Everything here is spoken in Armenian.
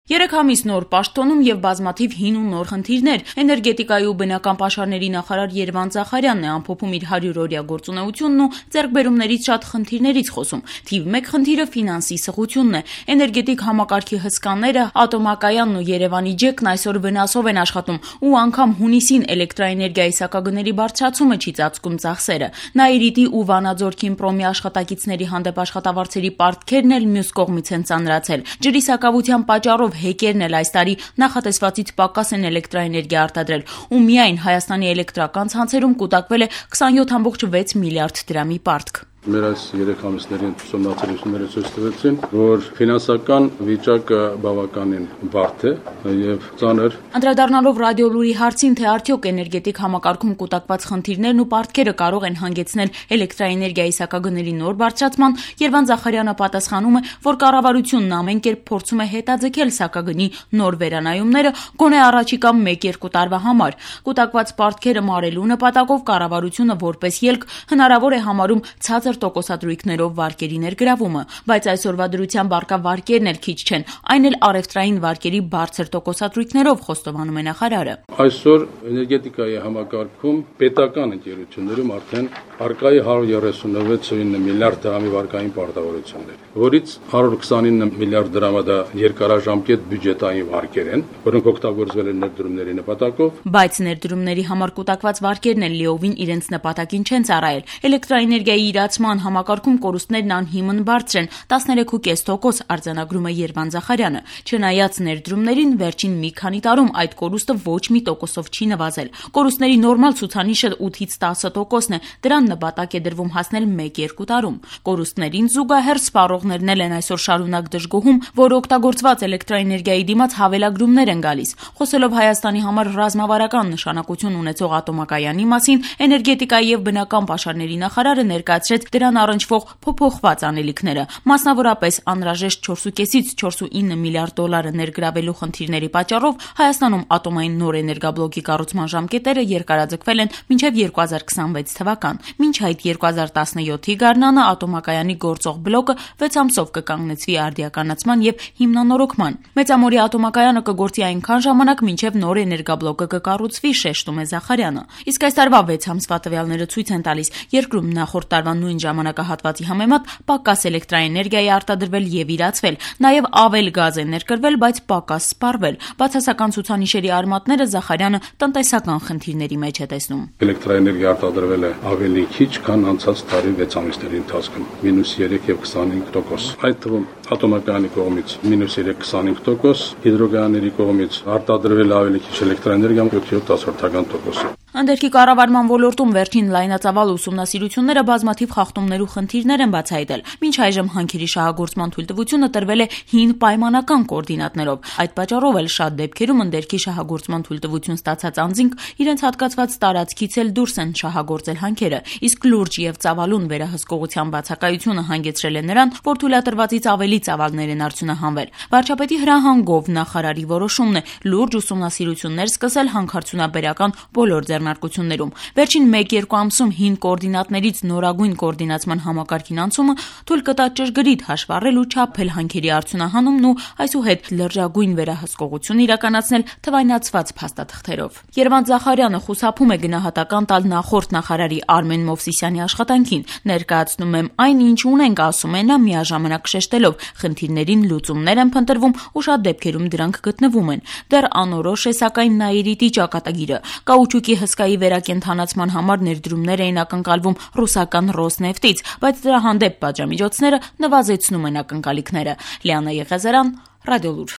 3 ամիս նոր պաշտոնում եւ բազմաթիվ հին ու նոր խնդիրներ։ Էներգետիկայի ու բնական պաշարների նախարար Երվանդ Զախարյանն է ամփոփում իր 100-օրյա գործունեությունն ու ձեռքբերումներից շատ խնդիրներից խոսում։ Թիվ 1 խնդիրը ֆինանսի սղությունն է։ Էներգետիկ համակարգի հսկաները, ատոմակայանն ու Երևանի ջեքն այսօր վնասով են աշխատում ու անգամ հունիսին էլեկտրաէներգիայի սակագների բարձրացումը չի ծածկում ծախսերը։ Նաիրիտի ու Վանաձորքի Իմպրոմի աշխատակիցների հանդեպ աշխատավարձերի պարտքերն էլ մյուս կողմից են ծանրացել։ Ջրի սակավության պատճառով հեկերն էլ այս տարի նախատեսվածից պակաս են էլեկտրաէներգիա արտադրել ու միայն Հայաստանի էլեկտրական ցանցերում կուտակվել է 27.6 միլիարդ դրամի պարտք։ Մեր այս 3 ամիսների ուսումնասիրությունները ցույց տվեցին, որ ֆինանսական վիճակը բավականին բարդ է եւ ծանր։ Անդրադառնալով ռադիոլուրի հարցին, թե արդյոք էներգետիկ համակարգում կուտակված խնդիրներն ու պարտքերը կարող են հանգեցնել էլեկտրաէներգիայի սակագների նոր բարձրացման, Երվանդ Զախարյանը պատասխանում է, որ կառավարությունն ամեն կերպ փորձում է հետաձգել սակագնի նոր վերանայումները գոնե առաջիկա 1-2 տարվա համար։ Կուտակված պարտքերը մարելու նպատակով կառավարությունը որպես ելք հնարավոր է համարում ցածր տոկոսադրույքներով վարկերի ներգրավումը, բայց այսօրվա դրությամբ առկա վարկերն էլ քիչ չեն, այն էլ առևտրային վարկերի բարձր տոկոսադրույքներով, խոստովանում է նախարարը։ Այսօր էներգետիկայի համակարգում պետական ընկերություններում արդեն առկա է 136.9 միլիարդ դրամի վարկային պարտավորություններ, որից 129 միլիարդ դրամը դա երկարաժամկետ բյուջետային վարկեր են, որոնք օգտագործվել են ներդրումների նպատակով։ Բայց ներդրումների համար կուտակված վարկերն էլ լիովին իրենց նպատակին չեն ծառայել։ Էլեկտրաէներգիայի իրացման համակարգում կորուստներն անհիմն բարձր են, 13.5% արձանագրում է Երվանդ Զախարյանը։ Չնայած ներդրումներին, վերջին մի քանի տարում այդ կորուստը ոչ մի տոկոսով չի նվազել։ Կորուստների նորմալ ցուցանիշը 8-ից 10%-ն է, դրան նպատակ է դրվում հասնել 1-2 տարում։ Կորուստներին զուգահեռ սպառողներն էլ են այսօր շարունակ դժգոհում, որ օգտագործված էլեկտրաէներգիայի դիմաց հավելագրումներ են գալիս։ Խոսելով Հայաստանի համար ռազմավարական նշանակություն ունեցող ատոմակայանի մասին, էներգետիկայի եւ բնական պաշարների նախարարը ներկայացրեց դրան առնչվող փոփոխված անելիքները։ Մասնավորապես անհրաժեշտ 4.5-ից 4.9 միլիարդ դոլարը ներգրավելու խնդիրների պատճառով Հայաստանում ատոմային նոր էներգաբլոկի կառուցման ժամկետերը երկարաձգվել են մինչև 2026 թվական։ Մինչ այդ 2017-ի գարնանը ատոմակայանի գործող բլոկը 6 ամսով կկանգնեցվի արդիականացման եւ հիմնանորոգման։ Մեծամորի ատոմակայանը կգործի այնքան ժամանակ, մինչև նոր էներգաբլոկը կկառուցվի, շեշտում է Զախարյանը։ Իսկ այս տարվա 6 ամսվա տվյալները ցույց են տալիս, երկրում նախորդ տարվա նույն ժամանակահատվածի համեմատ պակաս էլեկտրաէներգիա է արտադրվել եւ իրացվել, նաեւ ավել գազ է ներկրվել, բայց պակաս սպառվել։ Բացասական ցուցանիշերի արմատները Զախարյանը տնտեսական խնդիրների մեջ է տեսնում։ Էլեկտրաէներգիա արտադրվել է ավելի քիչ, քան անցած տարի 6 ամիսների ընթացքում՝ -3 եւ 25%։ Այդ թվում ատոմակայանի կողմից -3-25%, հիդրոգայանների կողմից արտադրվել ավելի քիչ էլեկտրաէներգիա 7.10%։ Անդերքի կառավարման ոլորտում վերջին լայնածավալ ուսումնասիրությունները բազմաթիվ խախտումներ ու խնդիրներ են բացահայտել։ Մինչ այժմ հանքերի շահագործման թույլտվությունը տրվել է հին պայմանական կոորդինատներով։ Այդ պատճառով էլ շատ դեպքերում անդերքի շահագործման թույլտվություն ստացած անձինք իրենց հատկացված տարածքից էլ դուրս են շահագործել հանքերը։ Իսկ լուրջ եւ ծավալուն վերահսկողության բացակայությունը հանգեցրել է նրան, որ թույլատրվածից ավելի ծավալներ են արդյունահանվել։ Վարչապետի հրահանգով նախարարի որոշումն է լուրջ ուսումնասիրություններ սկսել հանքարդյունաբերական բոլոր ձեռնարկություններում։ Վերջին 1-2 ամսում հին կոորդինատներից նորագույն կոորդինացման համակարգին անցումը թույլ կտա ճշգրիտ հաշվառել ու չափել հանքերի արդյունահանումն ու այսուհետ լրջագույն վերահսկողություն իրականացնել թվայնացված փաստաթղթերով։ Երվանդ Զախարյանը խուսափում է գնահատական տալ նախորդ նախարարի Արմեն Մովսիսյանի աշխատանքին, ներկայացնում եմ այն, ինչ ունենք, ասում է նա, միաժամանակ շեշտելով խնդիրներին լուծումներ են փնտրվում ու շատ դեպքերում դրանք գտնվում են։ Դեռ անորոշ է սակայն Նաիրիտի ճակատագիրը։ Կաուչուկի հսկայի վերակենդանացման համար ներդրումներ էին ակնկալվում ռուսական Ռոսնեֆտից, բայց դրա հանդեպ պատժամիջոցները նվազեցնում են ակնկալիքները։ Լիանա Եղիազարյան, Ռադիոլուր։